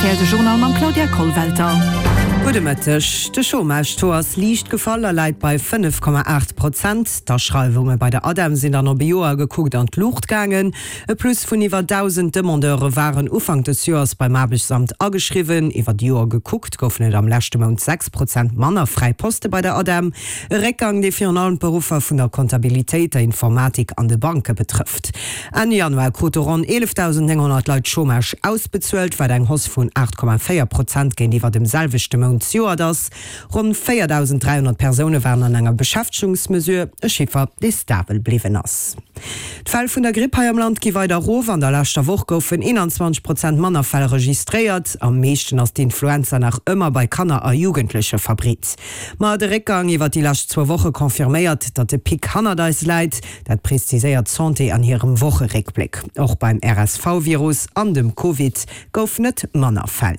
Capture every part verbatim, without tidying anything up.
rtl, de Journal mam Claudia Kollwelter. Gudde Mëtteg. De Chômage-Taux ass liicht gefall a läit bei fënnef Komma aacht Prozent. D'Aschreiwunge bei der ADEM sinn dann op e Joer gekuckt an d'Luucht gaangen. E Plus vun iwwer dausend Demandeure waren Ufank des Joers beim Aarbechtsamt ageschriwwen. Iwwer d'Joer gekuckt goufen et am leschte Mount sechs Prozent manner fräi Poste bei der ADEM. E Réckgang, dee virun allem d'Beruffer vun der Comptabilitéit, der Informatik an de Banke betrëfft. Enn Januar krute ronn eelefdausendnénghonnert Leit Chômage ausbezuelt, wat eng Hausse vun aacht Komma véier Prozent géintiwwer dem selwechte Mount zejoert ass. Ronn véierdausendräihonnert Persoune waren an enger Beschäftegungsmesure, e Chiffer, dee stabel bliwwen ass. D'Fäll vun der Gripp hei am Land gi weider erof. An der leschter Woch goufen eenanzwanzeg Prozent manner Fäll registréiert. Am meeschten ass d'Influenza nach ëmmer bei Kanner a Jugendleche verbreet. Ma de Réckgang iwwer déi lescht zwou Woche confirméiert, datt de Pic hannert eis läit. Dat preziséiert d'Santé an hirem Wocheréckbléck. Och beim R S V-Virus an dem Covid goufen et manner Fäll.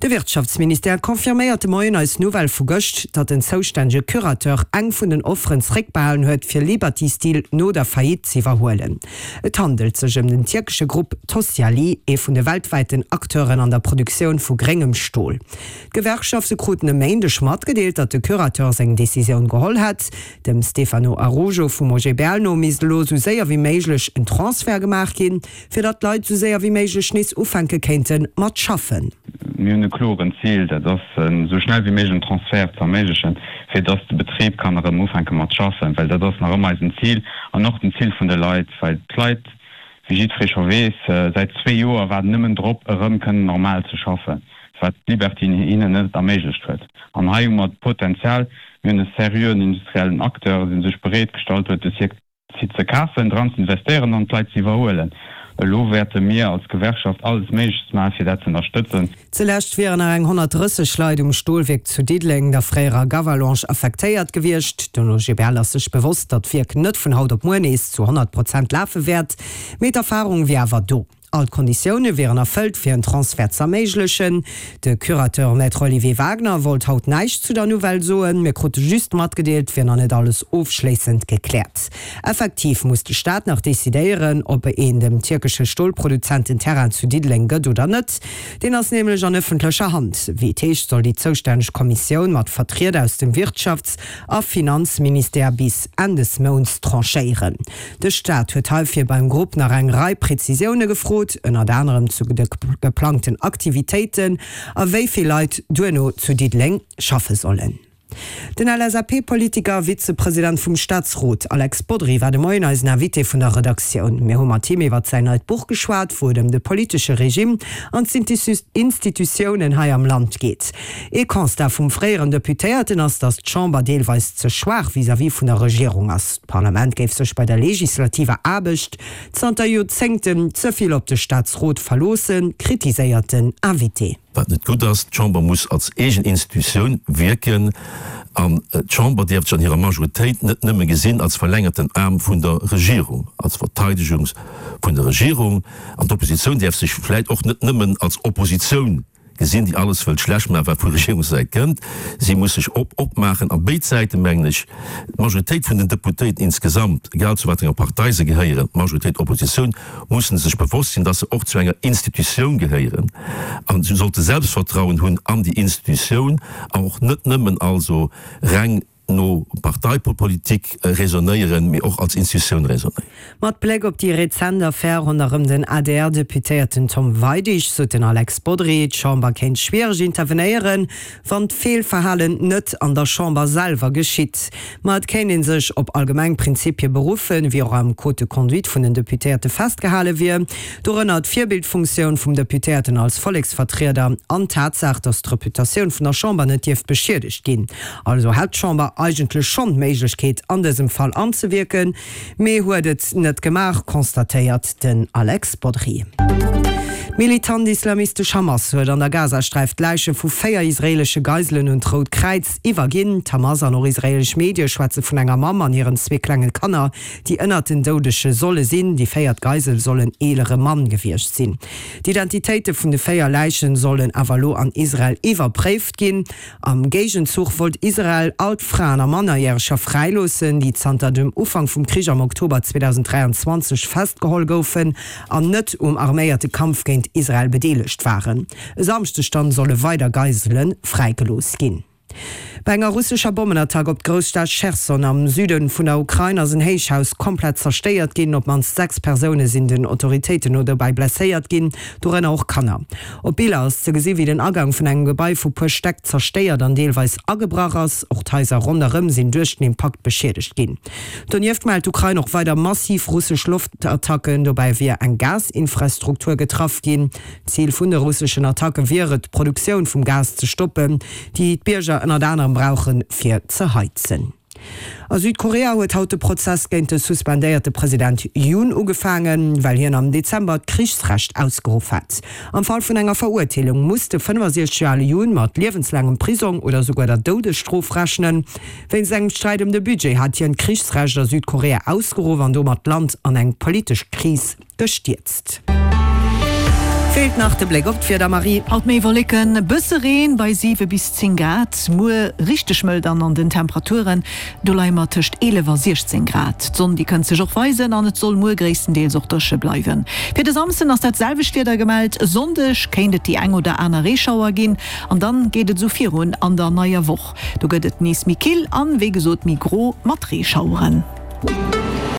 De Wirtschaftsministère confirméiert de Moien eis Nouvelle vu gëscht, datt den zoustännege Curateur eng vun den Offeren zeréckbehalen huet, fir Liberty Steel no der Faillite z'iwwerhuelen. Et handelt sech ëm den tierkesche Grupp Tosyali, ee vun de weltwäiten Acteuren an der Produktioun vu gréngem Stol. D'Gewerkschafte kruten e Méindeg matgedeelt, datt de Curateur seng Decisioun geholl hätt. Dem Stefano Araujo vum O G B L no misst elo esou séier wéi méiglech en Transfert gemaach ginn, fir datt d'Leit esou séier wéi méiglech nees ufänke kéinte mat schaffen. Mir hunn e kloren Zil, dat ass, esou schnell wéi méiglech en Transfert ze erméiglechen, fir dass de Betrib kann erëm ufänke mat schaffen, well dat ass nach ëmmer eisen Zil an och den Zil vun de Leit, well d'Leit, wéi jiddweree scho weess, säit zwee Joer waarden nëmmen drop, erëm kënnen normal ze schaffen, wat d'Liberty hinnen net erméiglecht huet. An hei hu mer d'Potenzial, mir hunn e seriöen industriellen Acteur, dee sech bereet gestallt huet, de Site ze kafen, dran ze investéieren an d'Leit ze iwwerhuelen. Elo wäerte mir als Gewerkschaft alles Méiglechst maachen, fir dat ze ënnerstëtzen. Zulescht wieren nach eng honnertdrësseg Leit um Stolwierk zu Diddeleng, der fréierer Gavalange, affektéiert gewiescht. Den O G B L ass sech bewosst, datt d'Wierk net vun haut op muer nees zu honnert Prozent lafe wäert, mee d'Erfarung wier awer do. All d'Konditioune wieren erfëllt, fir en Transfert z'erméiglechen. De Curateur Maître Olivier Wagner wollt haut näischt zu der Nouvelle soen. Mir krute just matgedeelt, et wier nach net alles ofschléissend gekläert. Effektiv muss de Staat nach decidéieren, ob een dem tierkesche Stolproduzent den Terrain zu Diddeleng gëtt oder net. Deen ass nämlech an ëffentlecher Hand. Wéi et heescht, soll déi zoustänneg Kommissioun mat Vertrieder aus dem Wirtschafts a Finanzministère bis Enn des Mounts tranchéieren. De Staat huet heifir beim Grupp nach eng Rei Prezisioune gefrot, ënnert anerem zu de geplangten Aktivitéiten a wéi vill Leit duerno zu Diddeleng schaffe sollen. Den L S A P-Politiker a Vizepresident vum Staatsrot Alex Bodry war de Moien eisen Invité vun der Redaktioun. Mir hu mat him iwwert säin neit Buch geschwat, wou et ëm de politesche Regime an d'Institutiounen hei am Land geet. Ee Constat vum fréieren Deputéierten ass, datt d'Chamber deelweis ze schwaach vis-à-vis vun der Regierung ass. D'Parlament géif sech bei der legislativer Aarbecht zanter Joerzéngten ze vill op de Staatsrot verloossen, kritiséiert den Invité. Wat net gutt ass, d'Chamber muss als eegen Institutioun wierken an d'Chamber dierf sech an hirer Majoritéit net nëmme gesinn als verlängerten Aarm vun der Regierung, als Verteidegung vun der Regierung. An d'Oppositioun dierf sech vläicht och net nëmmen als Oppositioun gesinn, déi alles wëllt schlecht maachen, wat vu Regierungssäit kënnt. Si muss sech op opmaachen. A béid Säiten, mengen ech, d'Majoritéit vun den Deputéierten insgesamt, egal zu wat enger Partei se gehéieren, Majoritéit, Oppositioun, mussen sech bewosst sinn, dass se och zu enger Institutioun gehéieren. An se sollte Selbstvertrauen hunn an déi Institutioun, an och net nëmmen also reng no Parteipolitik raisonnéieren, mee och als Institutioun raisonnéieren. Mat Bléck op déi rezent Affär ronderëm den A D R-Deputéierten Tom Weidig sot den Alex Bodry, d'Chamber kéint schwiereg intervenéieren, wann d'Feelverhalen net an der Chamber selwer geschitt. Ma et kéint ee sech op allgemeng Prinzipie beruffen, wéi och am Code de conduite vun den Deputéierte festgehale wier, dorënner d'Virbildfunktioun vum Deputéierten als Volleksvertrieder an d'Tatsaach, datt d'Reputatioun vun der Chamber net dierf beschiedegt ginn. Also hätt d'Chamber eigentlech schonn d'Méiglechkeet an dësem Fall anzewierken, mee huet et net gemaach, constatéiert den Alex Bodry. D'militant islamistesch Hamas huet an der Gazasträif d'Läiche vu véier israeelesche Geiselen un d'Rout Kräiz iwwerginn. D'Hamas an och israeelesch Medie schwätze vun enger Mamm an hiren zwee klenge Kanner, déi ënnert den Doudege solle sinn. Déi véiert Geisel soll en eelere Mann gewiescht sinn. D'Identitéite vun de véier Läiche sollen awer elo an Israel iwwerpréift ginn. Am Géigenzuch wollt Israel all d'Fraen a Mannerjäreger fräiloossen, déi zanter dem Ufank vum Krich am Oktober zweedausenddräianzwanzeg festgeholl goufen an net um arméierte Kampf géint géint Israel bedeelegt waren. E Samschdeg dann solle weider Geisele fräigelooss ginn. Bei enger russescher Bommenattack op d'Grousstad Cherson am Süde vun der Ukrain ass en Héichhaus komplett zerstéiert ginn. Op d'mannst sechs Persoune sinn den Autoritéiten no dobäi blesséiert ginn, dorënner och Kanner. Op Biller ass ze gesi wéi den Agang vun engem Gebai vu puer Stäck zerstéiert an deelweis agebrach ass. Och d'Haiser ronderëm sinn duerch den Impakt beschiedegt ginn. Donieft mellt d'Ukrain och weider massiv russesch Loftattacken. Dobäi wier eng Gasinfrastruktur getraff ginn. Zil vun de russeschen Attacke wier et, d'Produktioun vum Gas ze stoppen, déi d'Bierger ënnert anerem brauchen, fir ze heizen. A Südkorea huet haut de Prozess géint de suspendéierte President Yoon ugefaangen, well hien am Dezember d'Krichsrecht ausgeruff hat. Am Fall vun enger Verurteelung muss de fënnefasiechzeg Joer ale Yoon mat liewenslaangem Prisong oder souguer der Doudesstrof rechnen. Wéinst engem Sträit ëm de Budget hat hien d'Krichsrecht a Südkorea ausgeruff an domat d'Land an eng politesch Kris gestierzt. Feelt nach de Bléck op d'Wieder, Marie. Haut méi Wolleken, bësse Reen bei siwe bis zéng Grad. Muer richteg mëll dann an den Temperaturen, do leie mer tëscht eelef a siechzéng Grad. D'Sonn déi kënnt sech och weisen an et soll muer gréisstendeels och dréche bleiwen. Fir de Samsden ass dat selwecht Wieder gemellt, e Sonndeg kéint et déi eng oder aner Reeschauer ginn an dann geet et esou virun an der neier Woch. Do gëtt et nees méi kill an wéi gesot méi gro mat Reeschaueren.